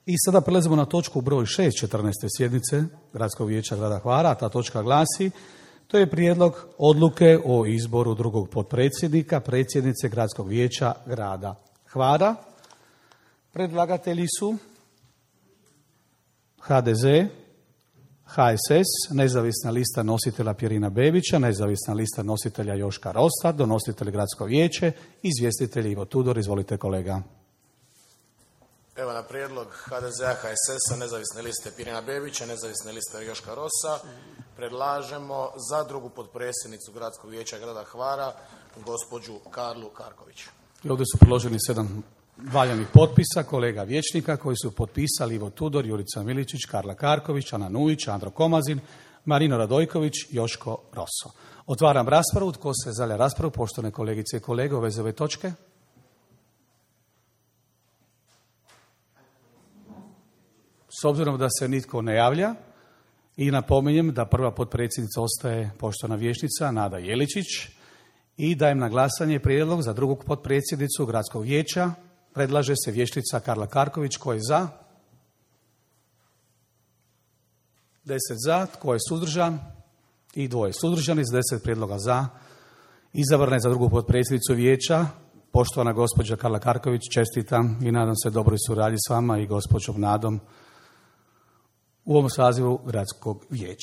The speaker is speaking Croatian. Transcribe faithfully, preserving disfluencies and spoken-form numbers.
I sada prelazimo na točku broj šest četrnaeste sjednice Gradskog vijeća grada Hvara. Ta točka glasi: to je prijedlog odluke o izboru drugog potpredsjednika, predsjednice Gradskog vijeća grada Hvara. Predlagatelji su ha de ze, ha es es, nezavisna lista nositelja Pirina Bebića, nezavisna lista nositelja Joška Rosa, donositelj Gradsko vijeće, izvjestitelj Ivo Tudor. Izvolite kolega. Evo, na prijedlog ha de zea, ha es esa, nezavisne liste Pirina Bebića, nezavisne liste Joška Rosa, predlažemo za drugu potpredsjednicu Gradskog vijeća grada Hvara gospođu Karlu Karković. I ovdje su priloženi sedam valjanih potpisa kolega vijećnika koji su potpisali: Ivo Tudor, Jurica Miličić, Karla Karković, Ana Nujić, Andro Komazin, Marino Radojković, Joško Roso. Otvaram raspravu. Tko se želi raspravu, poštovane kolegice i kolege, u vezi ove točke? S obzirom da se nitko ne javlja, i napominjem da prva potpredsjednica ostaje poštovana vijećnica Nada Jeličić, i dajem na glasanje prijedlog za drugog potpredsjednicu Gradskog vijeća. Predlaže se vijećnica Karla Karković. Tko je za? Deset za. Tko je suzdržan? I dvoje suzdržani. S deset prijedloga za izabrana je za drugu potpredsjednicu vijeća poštovana gospođa Karla Karković. Čestitam i nadam se dobroj suradnji s vama i gospođom Nadom u ovom sazivu Gradskog vijeća.